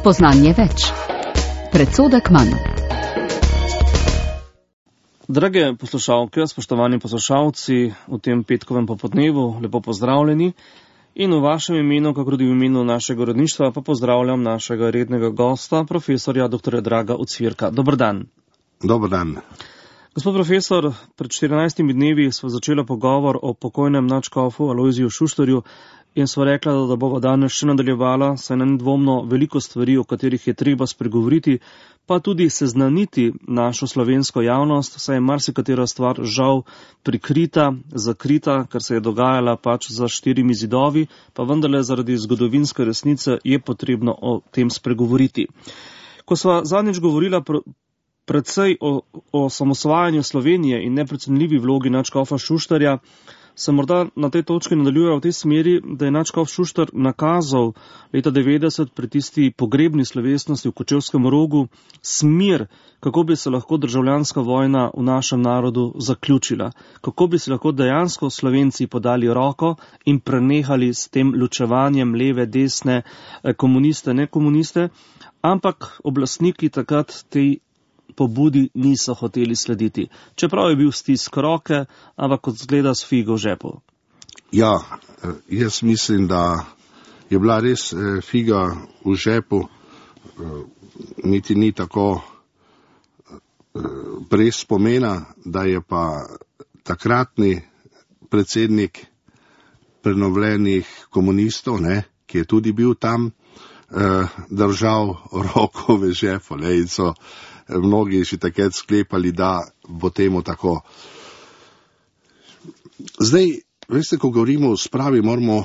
Spoznanje več. Predsodek manj. Drage poslušalke, spoštovani poslušalci, v tem petkovem popodnevu lepo pozdravljeni in v vašem imenu, kako tudi v imenu našega uredništva, pa pozdravljam našega rednega gosta, profesorja dr. Draga Ocvirka. Dober dan. Dober dan. Gospod profesor, pred 14 dnevi smo začeli pogovor o pokojnem nadškofu Alojziju Šuštarju in smo rekla, da bova danes še nadaljevala, saj na nedvomno veliko stvari, o katerih je treba spregovoriti, pa tudi seznaniti našo slovensko javnost, saj je marsikatera stvar žal prikrita, zakrita, ker se je dogajala pač za štirimi zidovi, pa vendarle zaradi zgodovinske resnice je potrebno o tem spregovoriti. Ko sva zadnjič govorila predvsej o osamosvajanju Slovenije in neprecenljivi vlogi nadškofa Šuštarja, se morda na tej točki nadaljuje v tej smeri, da je nadškof Šuštar nakazal leta 90 pri tisti pogrebni slovesnosti v Kočevskem Rogu smer, kako bi se lahko državljanska vojna v našem narodu zaključila, kako bi se lahko dejansko Slovenci podali roko in prenehali s tem ločevanjem leve, desne, komuniste, nekomuniste, ampak oblastniki takrat tej pobudi niso hoteli slediti. Čeprav je bil stisk roke, ampak kot zgleda s figo v žepu. Ja, jaz mislim, da je bila res figa v žepu, niti ni tako brez spomena, da je pa takratni predsednik prenovljenih komunistov, ki je tudi bil tam, držal roko v žepu, in so mnogi že takrat sklepali, da bo temu tako. Zdaj, veste, ko govorimo o spravi, moramo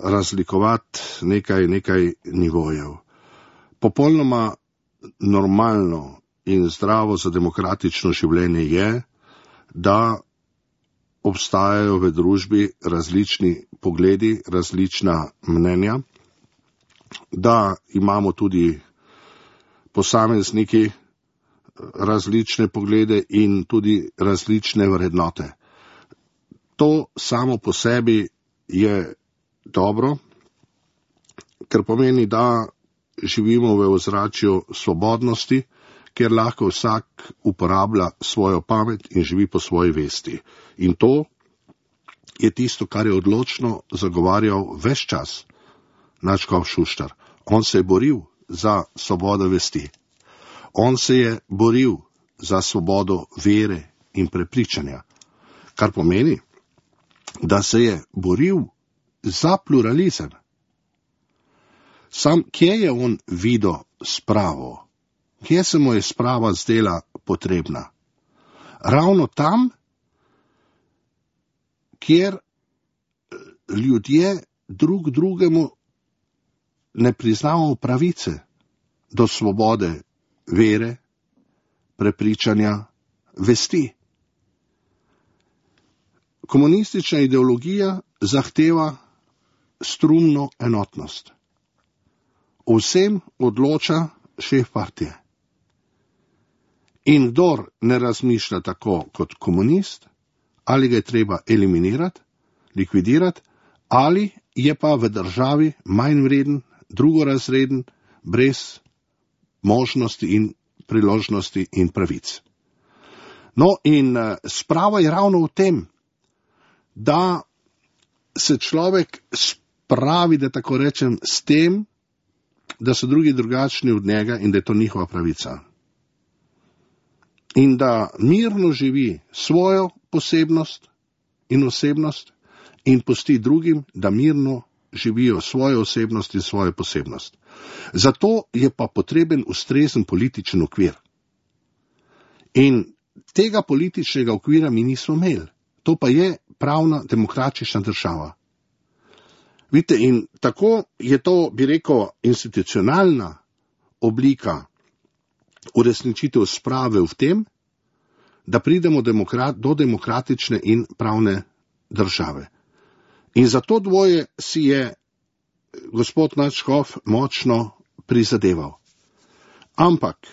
razlikovati nekaj nivojev. Popolnoma normalno in zdravo za demokratično življenje je, da obstajajo v družbi različni pogledi, različna mnenja, da imamo tudi posamezniki različne poglede in tudi različne vrednote. To samo po sebi je dobro, ker pomeni, da živimo v ozračju svobodnosti, kjer lahko vsak uporablja svojo pamet in živi po svoji vesti. In to je tisto, kar je odločno zagovarjal ves čas nadškof Šuštar. On se je boril za svobodo vesti. On se je boril za svobodo vere in prepričanja, kar pomeni, da se je boril za pluralizem. Sam, kje je on videl spravo? Kje se mu je sprava zdela potrebna? Ravno tam, kjer ljudje drug drugemu ne priznamo pravice do svobode vere, prepričanja, vesti. Komunistična ideologija zahteva strumno enotnost. O vsem odloča šef partije. In kdor ne razmišlja tako kot komunist, ali ga je treba eliminirati, likvidirati, ali je pa v državi manj vreden, drugorazreden, brez možnosti in priložnosti in pravic. No in sprava je ravno v tem, da se človek spravi, da tako rečem, s tem, da so drugi drugačni od njega in da je to njihova pravica. In da mirno živi svojo posebnost in osebnost in pusti drugim, da mirno živijo svojo osebnost in svojo posebnost. Zato je pa potreben ustrezen političen okvir. In tega političnega okvira mi nismo imeli. To pa je pravna demokratična država. Vidite, in tako je to, bi rekel, institucionalna oblika uresničitev sprave v tem, da pridemo do demokratične in pravne države. In za to dvoje si je gospod nadškof močno prizadeval. Ampak,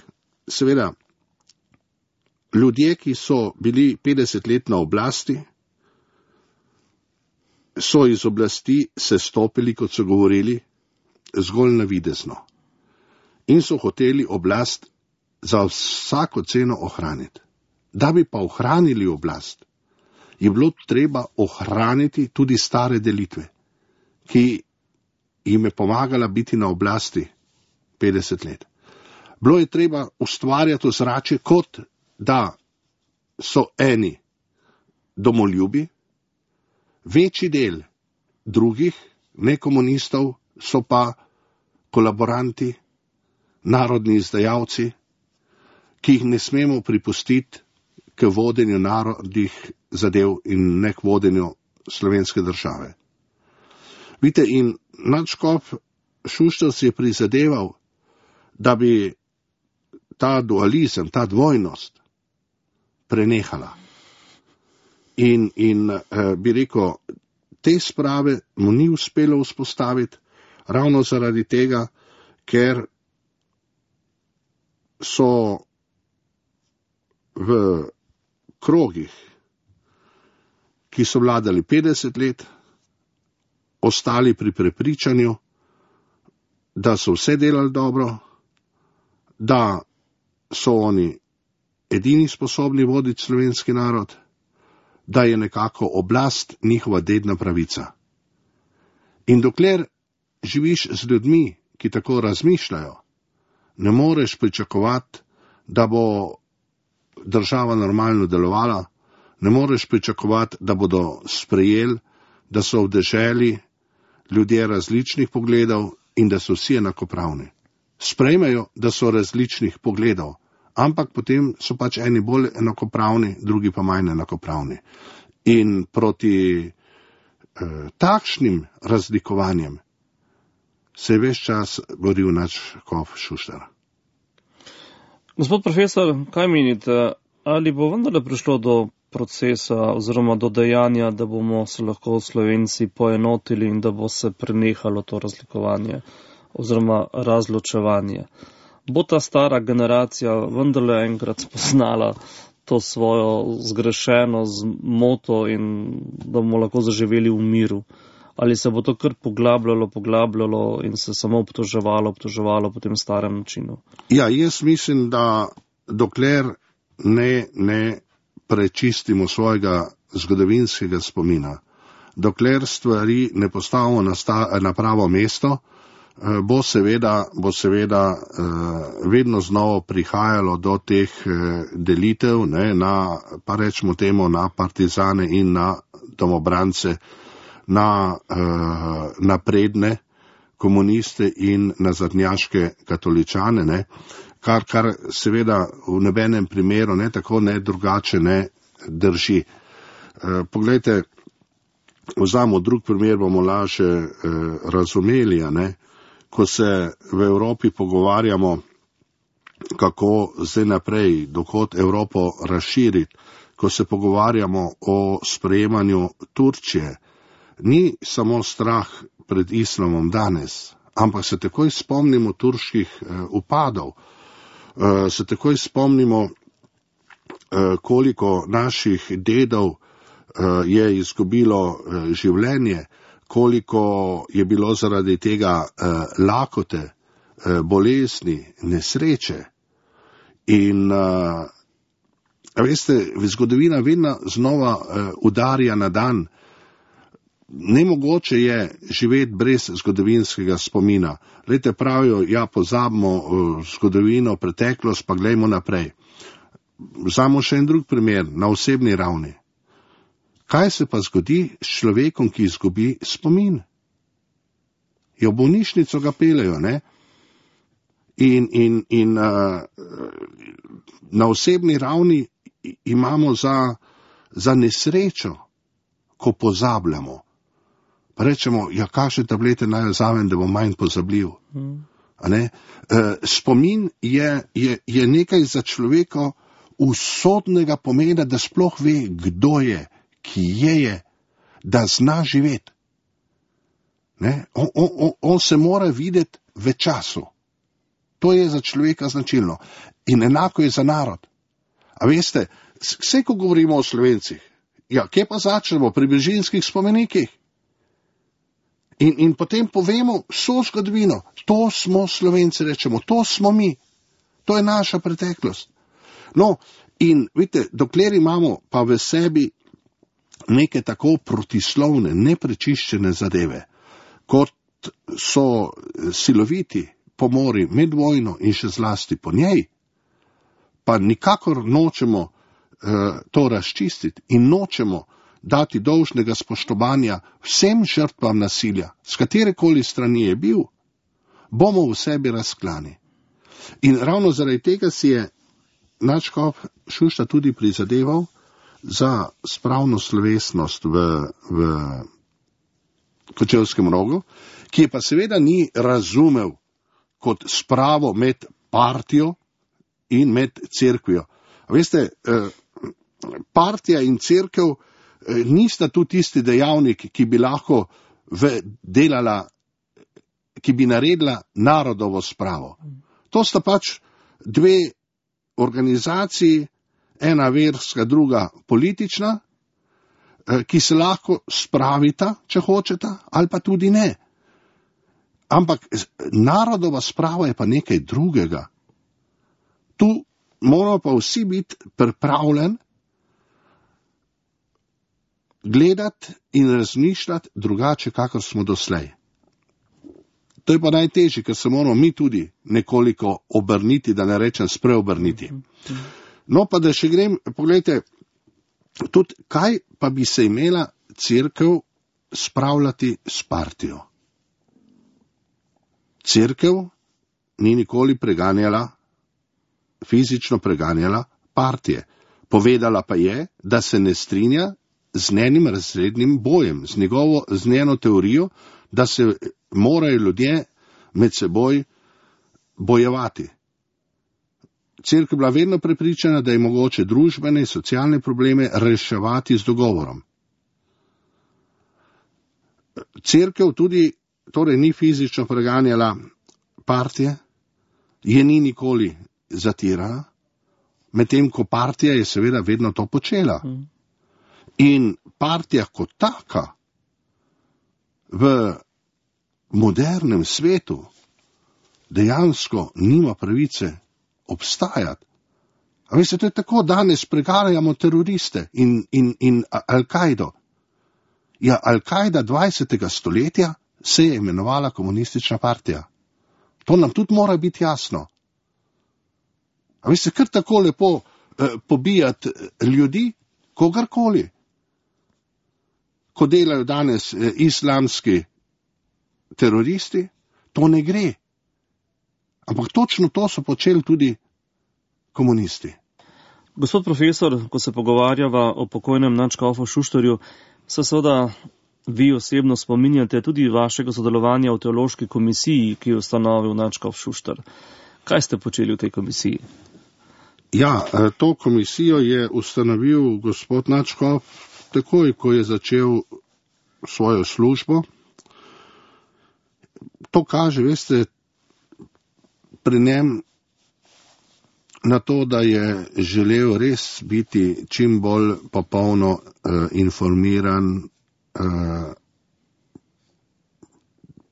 seveda, ljudje, ki so bili 50 let na oblasti, so iz oblasti sestopili, kot so govorili, zgolj navidezno. in so hoteli oblast za vsako ceno ohraniti. Da bi pa ohranili oblast, je bilo treba ohraniti tudi stare delitve, ki jim je pomagala biti na oblasti 50 let. Bilo je treba ustvarjati ozračje, kot da so eni domoljubi, večji del drugih, ne komunistov, so pa kolaboranti, narodni izdajalci, ki jih ne smemo pripustiti k vodenju narodnih zadev in ne k vodenju slovenske države. Vidite, in nadškof Šuštar si je prizadeval, da bi ta dualizem, ta dvojnost prenehala. In bi rekel, te sprave mu ni uspelo vzpostaviti, ravno zaradi tega, ker so v krogih, ki so vladali 50 let, ostali pri prepričanju, da so vse delali dobro, da so oni edini sposobni voditi slovenski narod, da je nekako oblast njihova dedna pravica. In dokler živiš z ljudmi, ki tako razmišljajo, ne moreš pričakovati, da bo država normalno delovala, ne moreš pričakovati, da bodo sprejeli, da so v deželi ljudje različnih pogledov in da so vsi enakopravni. Sprejmejo, da so različnih pogledov, ampak potem so pač eni bolj enakopravni, drugi pa manj enakopravni. In proti takšnim razlikovanjem se je ves čas boril nadškof Šuštar. Gospod profesor, kaj menite, ali bo vendarle prišlo do procesa oziroma do dejanja, da bomo se lahko Slovenci poenotili in da bo se prenehalo to razlikovanje oziroma razločevanje? Bo ta stara generacija vendarle enkrat spoznala to svojo zgrešeno zmoto in da bomo lahko zaživeli v miru? Ali se bo to kar poglabljalo in se samo obtoževalo po tem starem načinu? Ja, jaz mislim, da dokler ne prečistimo svojega zgodovinskega spomina, dokler stvari ne postavimo na pravo mesto, bo seveda vedno znova prihajalo do teh delitev, pa rečemo temu na partizane in na domobrance, na napredne komuniste in nazadnjaške katoličane, kar seveda v nobenem primeru ne tako ne drugače ne drži. Poglejte, vzamo drug primer, bomo lažje razumeli, ko se v Evropi pogovarjamo, kako zdaj naprej, dokot Evropo razširiti, ko se pogovarjamo o sprejemanju Turčije, ni samo strah pred islamom danes, ampak se takoj spomnimo turških upadov, se takoj spomnimo, koliko naših dedov je izgubilo življenje, koliko je bilo zaradi tega lakote, bolezni, nesreče. In veste, zgodovina vedno znova udarja na dan. Nemogoče je živeti brez zgodovinskega spomina. Glejte, pravijo, ja, pozabimo zgodovino, preteklost, pa glejmo naprej. Vzamemo še en drug primer, na osebni ravni. Kaj se pa zgodi s človekom, ki izgubi spomin? V bolnišnico ga peljejo, ne? In na osebni ravni imamo za nesrečo, ko pozabljamo. Pa rečemo, ja, kakšne tablete naj vzamem, da bom manj pozabljiv. Spomin je nekaj za človeka usodnega pomena, da sploh ve, kdo je, ki je, da zna živeti. On se mora videti v času. To je za človeka značilno. In enako je za narod. A veste, vse, ko govorimo o Slovencih, ja, kje pa začnemo? Pri Brižinskih spomenikih. In potem povemo vso zgodovino. To smo Slovenci, rečemo, to smo mi. To je naša preteklost. No, in vidite, dokler imamo pa v sebi neke tako protislovne, neprečiščene zadeve, kot so siloviti pomori med vojno in še zlasti po njej, pa nikakor nočemo to razčistiti in nočemo dati dolžnega spoštovanja vsem žrtvam nasilja, s katerekoli strani je bil, bomo v sebi razklani. In ravno zaradi tega si je nadškof Šuštar tudi prizadeval za spravno slovesnost v Kočevskem Rogu, ki je pa seveda ni razumel kot spravo med partijo in med cerkvijo. Veste, partija in cerkev nista tu tisti dejavnik, ki bi lahko delala, ki bi naredila narodovo spravo. To sta pač dve organizaciji, ena verska, druga politična, ki se lahko spravita, če hočeta, ali pa tudi ne. Ampak narodova sprava je pa nekaj drugega. Tu moramo pa vsi biti pripravljeni gledati in razmišljati drugače, kakor smo doslej. To je pa najtežje, ker se moramo mi tudi nekoliko obrniti, da ne rečem spreobrniti. No pa da še grem, pogledajte, tudi kaj pa bi se imela cerkev spravljati s partijo. Cerkev ni nikoli fizično preganjala partije. Povedala pa je, da se ne strinja z njenim razrednim bojem, z njeno teorijo, da se morajo ljudje med seboj bojevati. Cerkev je bila vedno prepričana, da je mogoče družbene in socialne probleme reševati z dogovorom. Cerkev tudi torej ni fizično preganjala partije, je ni nikoli zatirala, medtem ko partija je seveda vedno to počela. In partija kot taka v modernem svetu dejansko nima pravice obstajati. A veste, to je tako, danes preganjamo teroriste in Al-Kaido. Ja, Al-Kaida 20. stoletja se je imenovala komunistična partija. To nam tudi mora biti jasno. A veste, kar tako lepo pobijati ljudi, kogarkoli. Ko delajo danes islamski teroristi, to ne gre. Ampak točno to so počeli tudi komunisti. Gospod profesor, ko se pogovarjava o pokojnem nadškofu Šuštarju, se seveda vi osebno spominjate tudi vašega sodelovanja v teološki komisiji, ki je ustanovil nadškof Šuštar. Kaj ste počeli v tej komisiji? Ja, to komisijo je ustanovil gospod nadškof takoj, ko je začel svojo službo. To kaže, veste, pri njem na to, da je želel res biti čim bolj popolno informiran,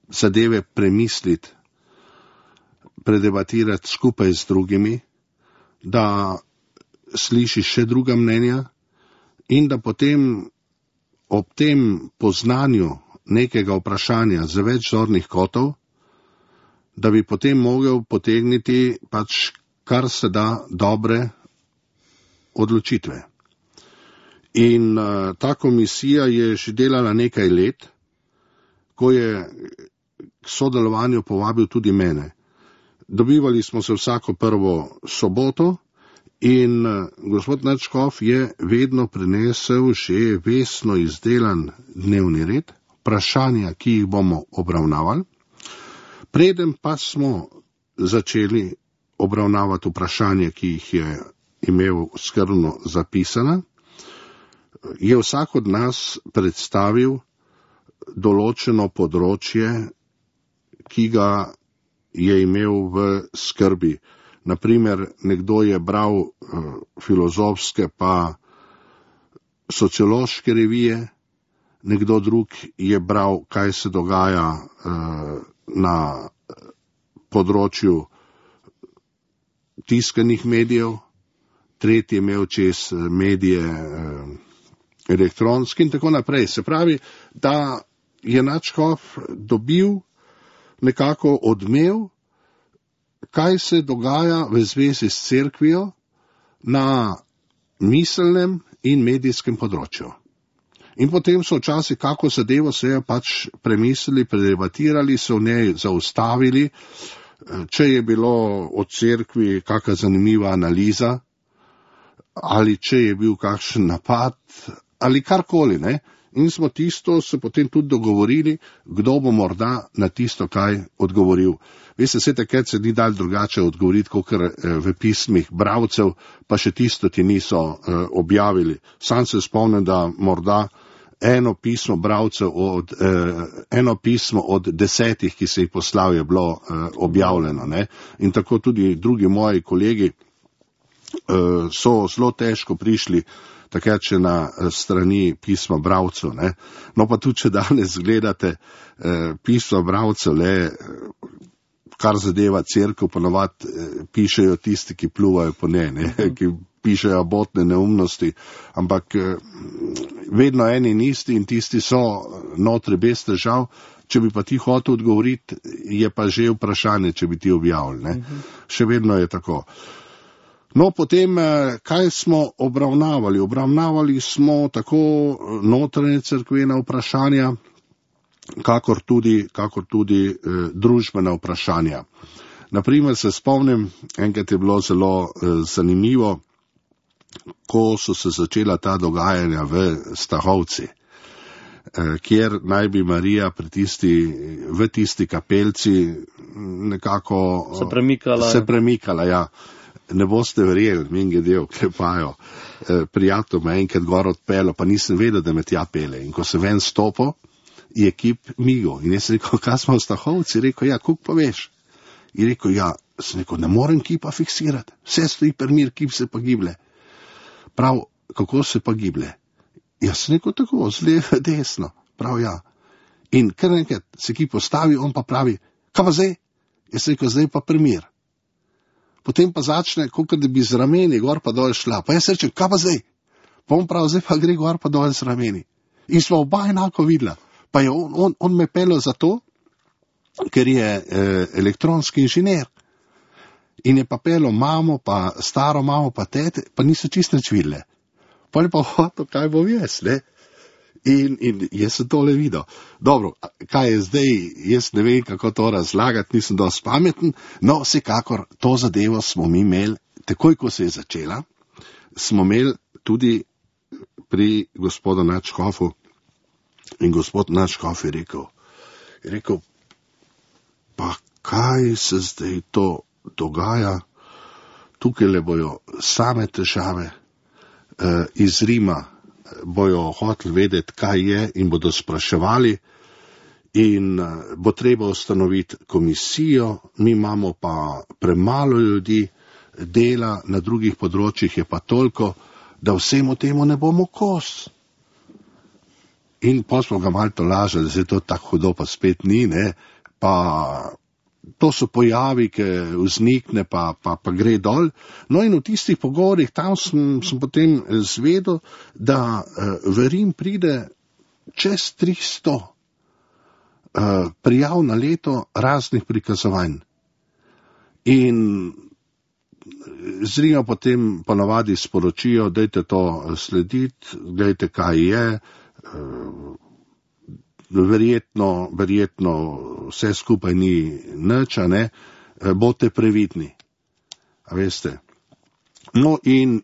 zadeve premisliti, predebatirati skupaj z drugimi, da sliši še druga mnenja in da potem ob tem poznanju nekega vprašanja z več zornih kotov, da bi potem mogel potegniti pač kar se da dobre odločitve. In ta komisija je že delala nekaj let, ko je k sodelovanju povabil tudi mene. Dobivali smo se vsako prvo soboto in gospod nadškof je vedno prinesel že vestno izdelan dnevni red, vprašanja, ki jih bomo obravnavali. Preden pa smo začeli obravnavati vprašanja, ki jih je imel skrbno zapisana, je vsak od nas predstavil določeno področje, ki ga je imel v skrbi. Naprimer, nekdo je bral filozofske pa sociološke revije, nekdo drug je bral, kaj se dogaja na področju tiskanih medijev, tretji je imel čez medije elektronski in tako naprej. Se pravi, da je nadškof dobil nekako odmev, kaj se dogaja v zvezi s cerkvijo na miselnem in medijskem področju. In potem so včasih kako zadevo se je pač premislili, predebatirali, so v njej zaustavili, če je bilo od cerkvi kakšna zanimiva analiza, ali če je bil kakšen napad, ali karkoli, ne. In smo tisto se potem tudi dogovorili, kdo bo morda na tisto kaj odgovoril. Veste, se takrat se ni dal drugače odgovoriti, kakor v pismih bralcev, pa še tisto ti niso objavili. Sam se spomnim, da morda eno pismo bralcev eno pismo od 10, ki se jih poslal, je bilo objavljeno, ne. In tako tudi drugi moji kolegi so zelo težko prišli takrat še na strani pisma bralcev, ne. No pa tudi, če danes gledate pisma bralcev, kar zadeva cerkev, ponovadi pišejo tisti, ki pluvajo po njej, ne, ki pišejo abotne neumnosti, ampak vedno eni in isti in tisti so notri bez težav. Če bi pa ti hotel odgovoriti, je pa že vprašanje, če bi ti objavili, ne. Še vedno je tako. No, potem, kaj smo obravnavali? Obravnavali smo tako notranje cerkvena vprašanja, kakor tudi družbena vprašanja. Naprimer se spomnim, enkrat je bilo zelo zanimivo, ko so se začela ta dogajanja v Stahovci, kjer naj bi Marija v tisti kapelci nekako se premikala, ja. Ne boste verjeli, minge del, klepajo. Prijatelj me enkrat gor odpelo, pa nisem vedel, da me tja pele. In ko se ven stopo, je kip migo. In jaz rekel, kaj smo v Stahovci? Rekel, ja, kuk pa veš? In rekel, ja, sem rekel, ne morem kipa fiksirati. Vse stoji permir, kip se pa giblje. Prav, kako se pa giblje? Jaz sem rekel tako, z leve, desno. Prav, ja. In kar enkrat se kip postavi, on pa pravi, kaj pa zdaj? Jaz sem rekel, zdaj pa permir. Potem pa začne, kot da bi z rameni gor pa dol šla. Pa jaz rečem, kaj pa zdaj? Pa on prav, zdaj pa gre gor pa dol z rameni. In smo oba enako videla. Pa je on me pelil za to, ker je elektronski inženir. In je pa pelil mamo, pa staro mamo, pa tete, pa niso čisto nič videle. Pa je pa hotel, kaj bom jaz, ne? In jaz sem tole videl. Dobro, kaj je zdaj, jaz ne vem, kako to razlagati, nisem dosti pameten, no vsekakor to zadevo smo mi imeli, takoj ko se je začela, smo imeli tudi pri gospodu nadškofu in gospod nadškof je rekel, pa kaj se zdaj to dogaja, tukaj le bojo same težave iz Rima, bojo hoteli vedeti, kaj je in bodo spraševali in bo treba ustanoviti komisijo, mi imamo pa premalo ljudi, dela na drugih področjih je pa toliko, da vsemu temu ne bomo kos. In pa smo ga malo tolažili, da se to tako hudo pa spet ni, ne, pa to so pojavi, ki vznikne, pa gre dol. No in v tistih pogovorih, tam sem potem zvedel, da v Rim pride čez 300 prijav na leto raznih prikazovanj. In z Rima potem ponavadi sporočijo, dajte to slediti, dajte kaj je, verjetno vse skupaj ni nič, ne, bote previdni. A veste. No in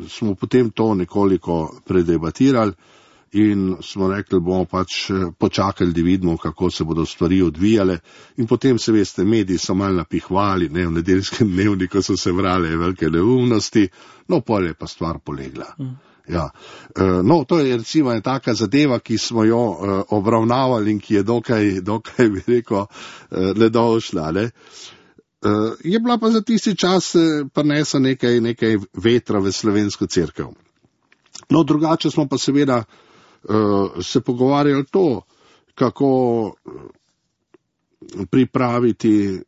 smo potem to nekoliko predebatirali in smo rekli, bomo pač počakali, da vidimo, kako se bodo stvari odvijale. In potem se veste, mediji so malo napihvali, ne, v nedeljskem dnevniku so se vrale velike neumnosti, no pol je pa stvar polegla. Ja. No, to je recimo ena taka zadeva, ki smo jo obravnavali in ki je dokaj bi rekel, nedolžna, ne. Je bila pa za tisti čas prinesa nekaj vetra v slovensko cerkev. No, drugače smo pa seveda se pogovarjali to, kako pripraviti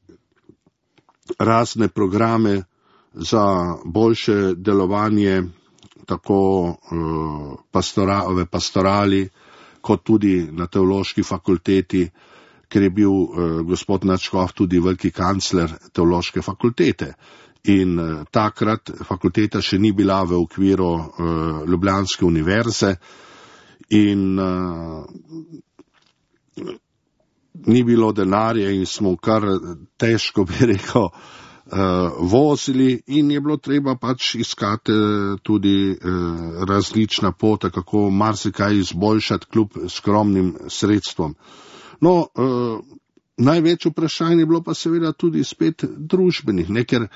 razne programe za boljše delovanje tako v pastorali, kot tudi na teološki fakulteti, ker je bil gospod nadškof tudi veliki kancler teološke fakultete. In takrat fakulteta še ni bila v okviru Ljubljanske univerze in ni bilo denarja in smo kar težko, bi rekel, vozili in je bilo treba pač iskati tudi različna pota, kako marsikaj izboljšati kljub skromnim sredstvom. No, največ vprašanje je bilo pa seveda tudi spet družbenih, ker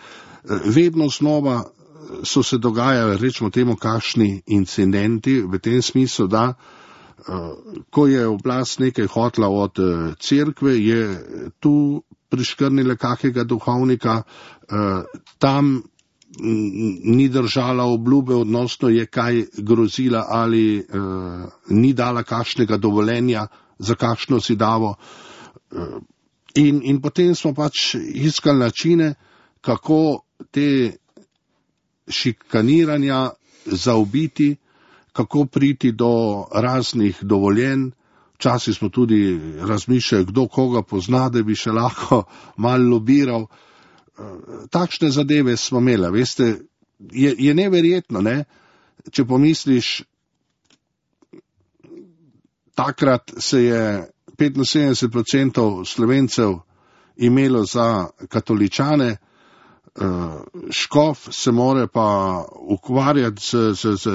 vedno znova so se dogajali, rečemo temu, kakšni incidenti v tem smislu, da ko je oblast nekaj hotla od cerkve, je tu priškrnila kakega duhovnika, tam ni držala obljube, odnosno je kaj grozila ali ni dala kakšnega dovoljenja za kakšno zidavo. In potem smo pač iskali načine, kako te šikaniranja zaobiti, kako priti do raznih dovoljenj. Včasih smo tudi razmišljali, kdo koga pozna, da bi še lahko malo lobiral. Takšne zadeve smo imeli, veste, je neverjetno, ne? Če pomisliš, takrat se je 75% Slovencev imelo za katoličane, škof se more pa ukvarjati z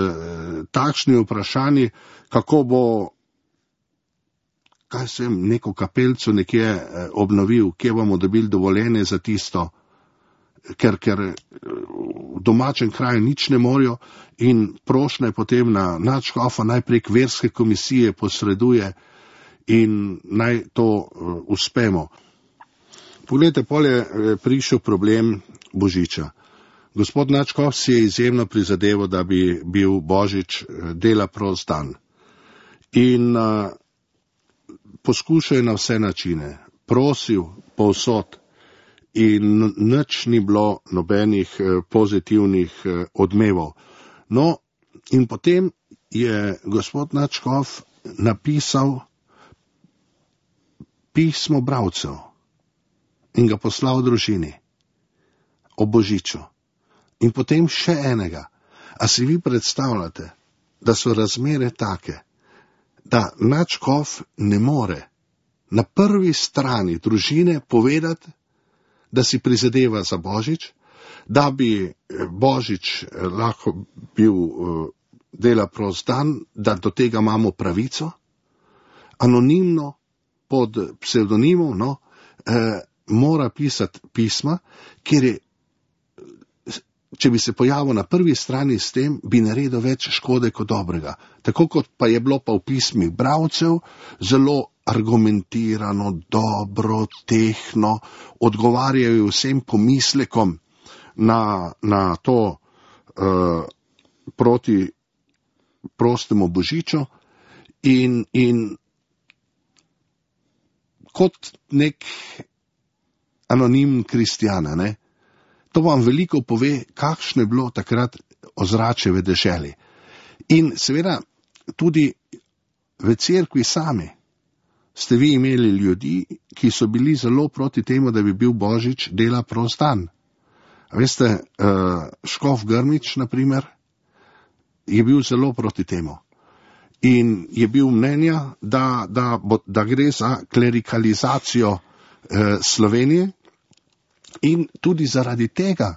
takšnimi vprašanji, kako bo neko kapelco nekje obnovil, kje bomo dobili dovoljenje za tisto, ker v domačem kraju nič ne morajo in prošnja je potem na nadškofa naj prek verske komisije posreduje in naj to uspemo. Poglejte, pol je prišel problem Božiča. Gospod nadškof si je izjemno prizadeval, da bi bil Božič dela prost dan. In poskušal je na vse načine, prosil povsod in nič ni bilo nobenih pozitivnih odmevov. No, in potem je gospod nadškof napisal pismo bralcev in ga poslal družini o Božiču. In potem še enega. A si vi predstavljate, da so razmere take, da nadškof ne more na prvi strani družine povedati, da si prizadeva za Božič, da bi Božič lahko bil dela prost dan, da do tega imamo pravico, anonimno, pod psevdonimom, mora pisati pisma, kjer je, če bi se pojavil na prvi strani s tem, bi naredil več škode kot dobrega. Tako kot pa je bilo pa v pismih bralcev, zelo argumentirano, dobro, tehno, odgovarjajo vsem pomislekom na to proti prostemu Božiču in kot nek anonim kristjana, ne? To vam veliko pove, kakšno je bilo takrat ozračje v deželi. In seveda tudi v cerkvi sami ste vi imeli ljudi, ki so bili zelo proti temu, da bi bil Božič dela prost dan. Veste, škof Grmič, na primer, je bil zelo proti temu. In je bil mnenja, da gre za klerikalizacijo Slovenije in tudi zaradi tega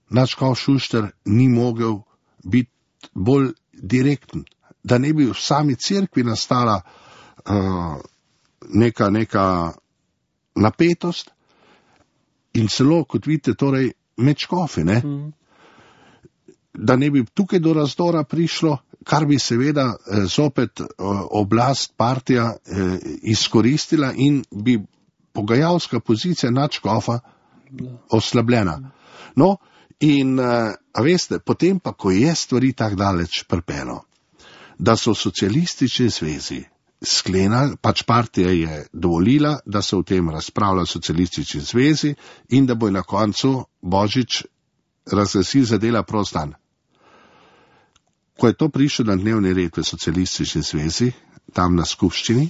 nadškof Šuštar ni mogel biti bolj direkten, da ne bi v sami cerkvi nastala neka napetost in celo, kot vidite, torej med škofi, ne? Da ne bi tukaj do razdora prišlo, kar bi seveda zopet oblast, partija izkoristila in bi pogajalska pozicija nadškofa oslabljena. No, in a veste, potem pa, ko je stvari tak daleč pripelo, da so v socialistični zvezi sklenili, pač partija je dovolila, da se v tem razpravlja v socialistični zvezi in da bo na koncu Božič razglasil za dela prost dan. Ko je to prišlo na dnevni red v socialistični zvezi, tam na skupščini,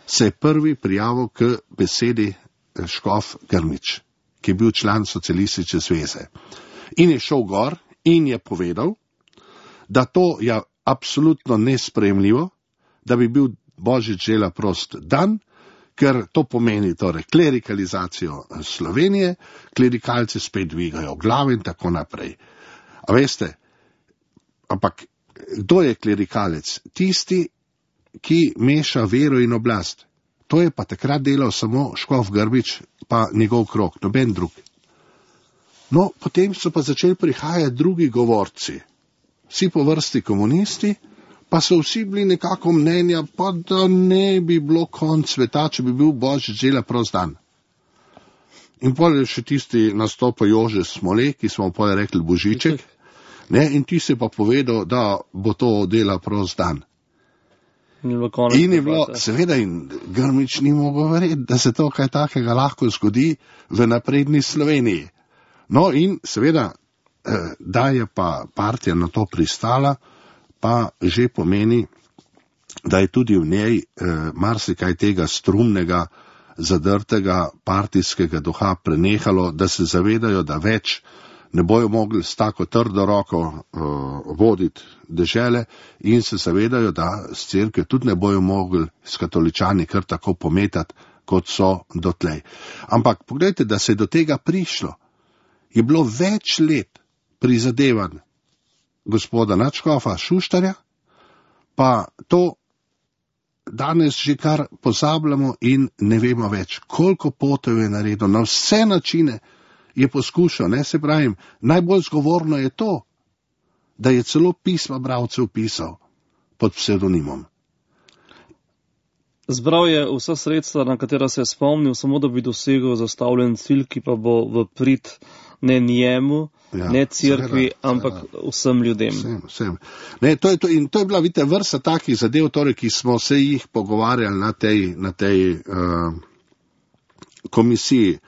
se je prvi prijavil k besedi škof Grmič, ki je bil član socialistične zveze. In je šel gor in je povedal, da to je absolutno nesprejemljivo, da bi bil Božič dela prost dan, ker to pomeni torej klerikalizacijo Slovenije, klerikalci spet dvigajo glave in tako naprej. A veste, ampak kdo je klerikalec? Tisti, ki meša vero in oblast. To je pa takrat delal samo škof Grbič pa njegov krog, noben drug. No, potem so pa začeli prihajati drugi govorci. Vsi po vrsti komunisti, pa so vsi bili nekako mnenja, pa da ne bi bilo konc sveta, če bi bil Božič dela prost dan. In potem je še tisti nastopa Jože Smole, ki smo potem rekli Božiček, ne, in ti se pa povedal, da bo to dela prost dan. In je bilo, seveda, in Grmič ni mogel verjeti, da se to kaj takega lahko zgodi v napredni Sloveniji. No in seveda, da je pa partija na to pristala, pa že pomeni, da je tudi v njej marsikaj tega strumnega, zadrtega partijskega duha prenehalo, da se zavedajo, da več ne bojo mogli s tako trdo roko voditi dežele in se zavedajo, da s cerkve tudi ne bojo mogli s katoličani kar tako pometati, kot so dotlej. Ampak pogledajte, da se je do tega prišlo. Je bilo več let prizadevanj gospoda nadškofa Šuštarja, pa to danes že kar pozabljamo in ne vemo več, koliko potov je naredil, na vse načine je poskušal, ne, se pravim, najbolj zgovorno je to, da je celo pisma bralcev pisal pod psevdonimom. Zbral je vsa sredstva, na katera se je spomnil, samo da bi dosegel zastavljen cilj, ki pa bo v prid ne njemu, ne cerkvi, ampak vsem ljudem. Vsem. Ne, to je to, in to je bila, vidite, vrsta takih zadev, torej, ki smo se jih pogovarjali na tej komisiji.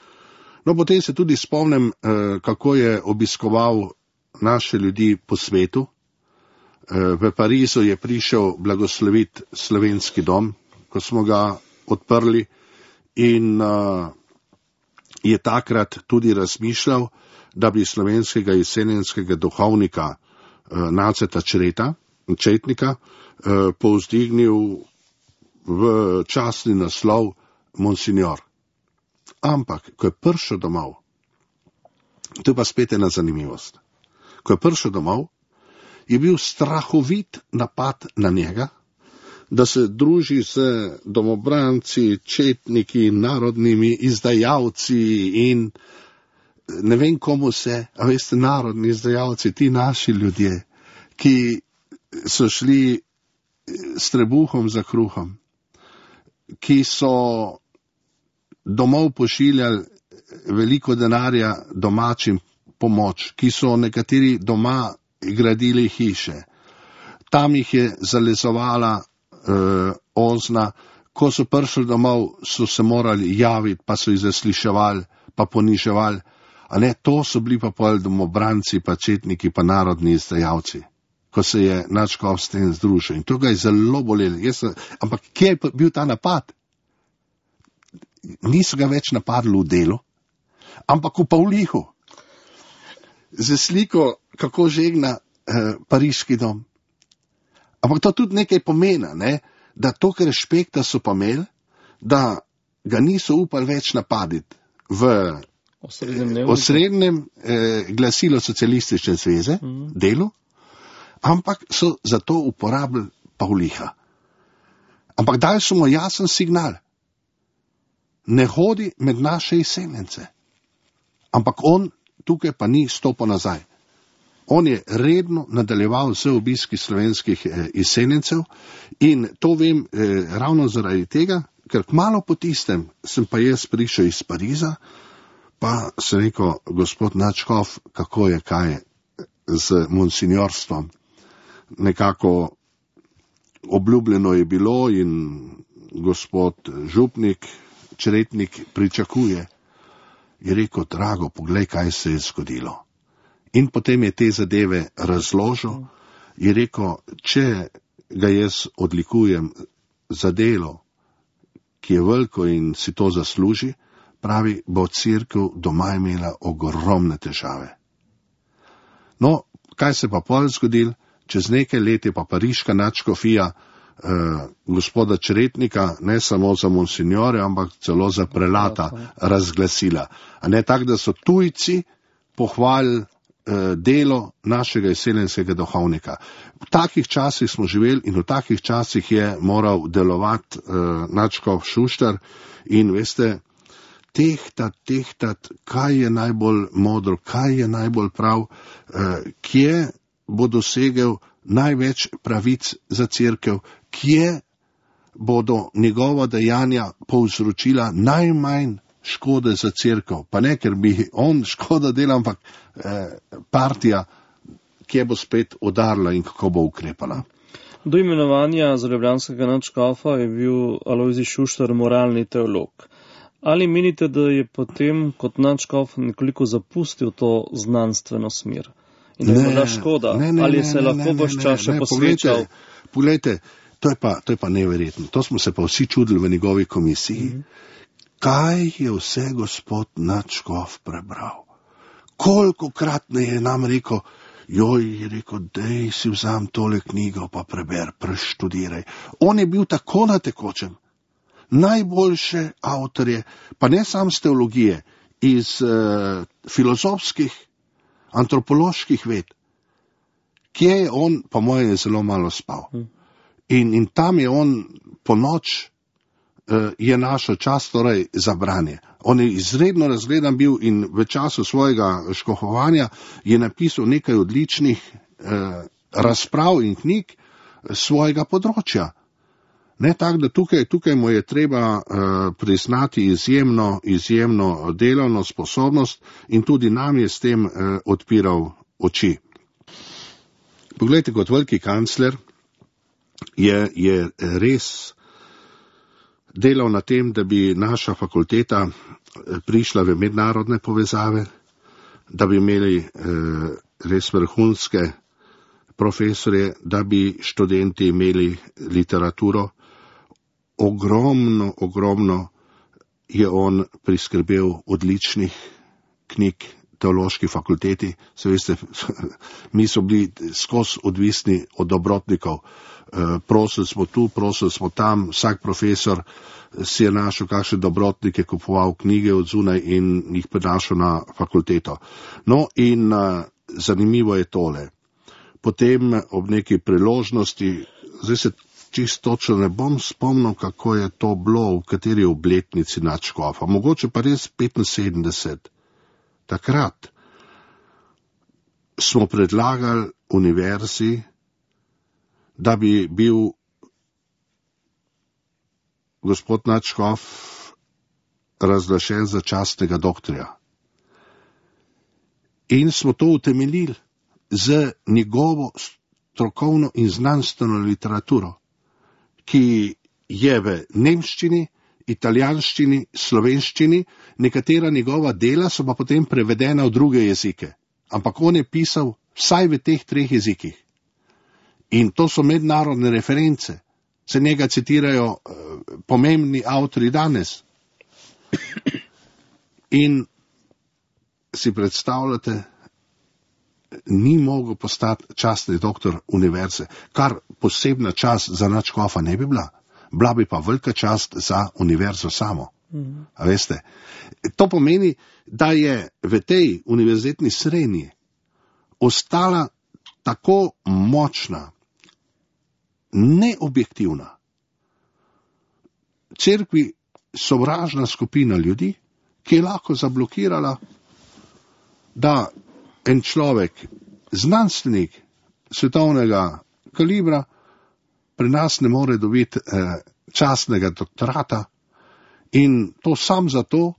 No, potem se tudi spomnim, kako je obiskoval naše ljudi po svetu. V Parizu je prišel blagosloviti slovenski dom, ko smo ga odprli, in je takrat tudi razmišljal, da bi slovenskega jesenjenskega duhovnika Naceta Četnika povzdignil v častni naslov Monsignor. Ampak, ko je prišel domov, to je pa spet ena zanimivost, ko je prišel domov, je bil strahovit napad na njega, da se druži z domobranci, četniki, narodnimi izdajalci in ne vem komu se, a veste, narodni izdajalci, ti naši ljudje, ki so šli s trebuhom za kruhom, ki so domov pošiljali veliko denarja domačim pomoč, ki so nekateri doma gradili hiše. Tam jih je zalezovala ozna, ko so prišli domov, so se morali javiti, pa so jih zasliševali, pa poniževali. A ne, to so bili pa pol domobranci, pa četniki, pa narodni izdajalci, ko se je nadškof s tem združil. In to ga je zelo bolelo. Ampak kje je bil ta napad? Niso ga več napadli v Delu, ampak v Pavlihu. Z sliko, kako žegna pariški dom. Ampak to tudi nekaj pomeni, ne? Da toliko respekta so pa imeli, da ga niso upali več napaditi v osrednjem glasilu socialistične zveze, Delu, ampak so zato uporabili Pavliha. Ampak dali so mu jasen signal. Ne hodi med naše jesenjence. Ampak on tukaj pa ni stopil nazaj. On je redno nadaljeval z obiski slovenskih jesenjencev in to vem ravno zaradi tega, ker kmalu po tistem sem pa jaz prišel iz Pariza, pa sem rekel, gospod nadškof, kako je kaj z monsinjorstvom. Nekako obljubljeno je bilo in gospod župnik, Čretnik pričakuje. Je rekel, drago, poglej, kaj se je zgodilo. In potem je te zadeve razložil. Je rekel, če ga jaz odlikujem za delo, ki je veliko in si to zasluži, pravi, bo cerkev doma imela ogromne težave. No, kaj se pa pol zgodil? Čez nekaj let je pa pariška nadškofija gospoda Čretnika, ne samo za monsignore, ampak celo za prelata razglasila. A ne tako, da so tujci pohvalili delo našega izseljenskega duhovnika. V takih časih smo živeli in v takih časih je moral delovati nadškof Šuštar in veste, tehtat, kaj je najbolj modro, kaj je najbolj prav, kje bo dosegel največ pravic za cerkev, kje bodo njegova dejanja povzročila najmanj škode za cerkev. Pa ne, ker bi on škoda delal, ampak partija, kje bo spet udarila in kako bo ukrepala. Do imenovanja za ljubljanskega nadškofa je bil Alojzij Šuštar moralni teolog. Ali menite, da je potem kot nadškof nekoliko zapustil to znanstveno smer? In da je morda škoda? Ali se lahko vaš čas še posvečal? Poglejte, to je pa neverjetno. To smo se pa vsi čudili v njegovi komisiji. Kaj je vse gospod nadškof prebral? Kolikokrat je nam rekel, je rekel, dej si vzam tole knjigo, pa preber, preštudiraj. On je bil tako na tekočem. Najboljše avtorje, pa ne sam z teologije, iz filozofskih, antropoloških ved, kje je on, po moje, je zelo malo spal. In tam je on po noč je našel čas torej za branje. On je izredno razgledan bil in v času svojega škofovanja je napisal nekaj odličnih razprav in knjig svojega področja. Ne tako, da tukaj mu je treba priznati izjemno delovno sposobnost in tudi nam je s tem odpiral oči. Poglejte, kot veliki kancler je res delal na tem, da bi naša fakulteta prišla v mednarodne povezave, da bi imeli res vrhunske profesorje, da bi študenti imeli literaturo. Ogromno je on priskrbel odličnih knjig teološki fakulteti. Se veste, mi so bili skozi odvisni od dobrotnikov. Prosili smo tu, prosili smo tam, vsak profesor si je našel kakšne dobrotnike, kupoval knjige od zunaj in jih prenašal na fakulteto. No in zanimivo je tole. Potem ob neki priložnosti, zdaj se čisto točno ne bom spomnil, kako je to bilo, v kateri obletnici nadškofa, mogoče pa res 75. Takrat smo predlagali univerzi, da bi bil gospod nadškof razglašen za častnega doktorja. In smo to utemeljili z njegovo strokovno in znanstveno literaturo, ki je v nemščini, italijanščini, slovenščini, nekatera njegova dela so pa potem prevedena v druge jezike. Ampak on je pisal vsaj v teh 3 jezikih. In to so mednarodne reference. Se njega citirajo pomembni avtori danes. In si predstavljate, ni mogel postati častni doktor univerze, kar posebna čast za nadškofa ne bi bila. Bila bi pa velika čast za univerzo samo. A veste? To pomeni, da je v tej univerzitetni srednji ostala tako močna, neobjektivna, cerkvi sovražna skupina ljudi, ki je lahko zablokirala, da en človek, znanstvenik svetovnega kalibra, pri nas ne more dobiti častnega doktorata in to sam zato,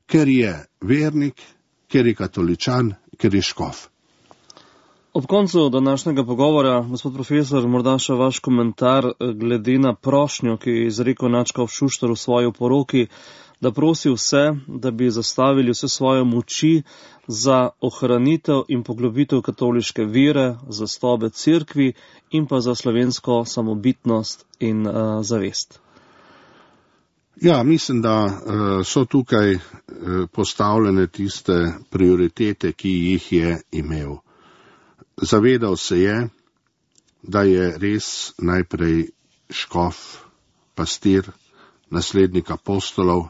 ker je vernik, ker je katoličan, ker je škof. Ob koncu današnjega pogovora, gospod profesor, morda še vaš komentar glede na prošnjo, ki je izrekel nadškof Šuštar v svoji oporoki, da prosi vse, da bi zastavili vse svoje moči za ohranitev in poglobitev katoliške vere, zastobe cerkvi in pa za slovensko samobitnost in zavest. Ja, mislim, da so tukaj postavljene tiste prioritete, ki jih je imel. Zavedal se je, da je res najprej škof, pastir, naslednik apostolov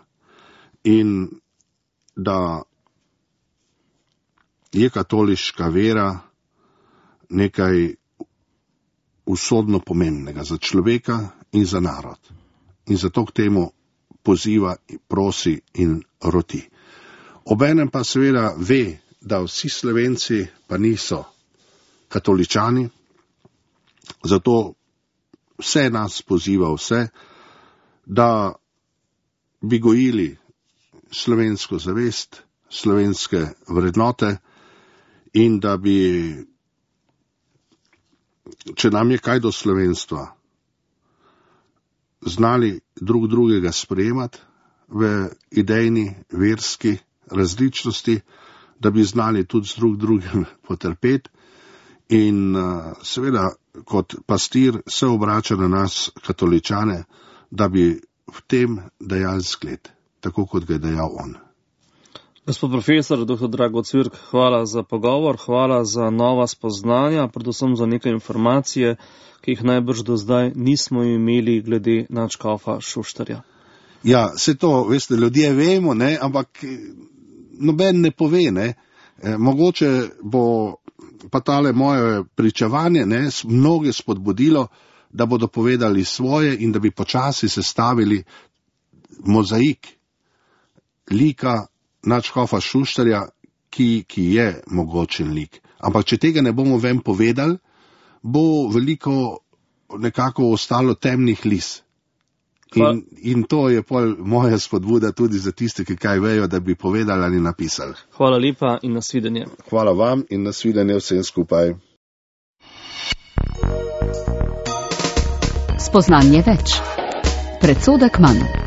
in da je katoliška vera nekaj usodno pomembnega za človeka in za narod. In zato k temu poziva, prosi in roti. Obenem pa seveda ve, da vsi Slovenci pa niso katoličani, zato vse nas poziva vse, da bi gojili slovensko zavest, slovenske vrednote in da bi, če nam je kaj do slovenstva, znali drug drugega sprejemati v idejni, verski različnosti, da bi znali tudi z drug drugim potrpeti in seveda kot pastir se obrača na nas katoličane, da bi v tem dajali zgled, tako kot ga je dejal on. Gospod profesor, dr. Drago Cvirk, hvala za pogovor, hvala za nova spoznanja, predvsem za nekaj informacije, ki jih najbrž do zdaj nismo imeli glede nadškofa Šuštarja. Ja, se to, veste, ljudje vemo, ne, ampak noben ne pove, ne. Mogoče bo pa tale moje pričevanje, ne, mnoge spodbudilo, da bodo povedali svoje in da bi počasi sestavili mozaik lika nadškofa Šuštarja, ki je mogočen lik. Ampak če tega ne bomo ven povedali, bo veliko nekako ostalo temnih lis. In to je pol moja spodbuda tudi za tiste, ki kaj vejo, da bi povedali ali napisali. Hvala lepa in nasvidenje. Hvala vam in nasvidenje vsem skupaj. Spoznanje več. Predsodek manj.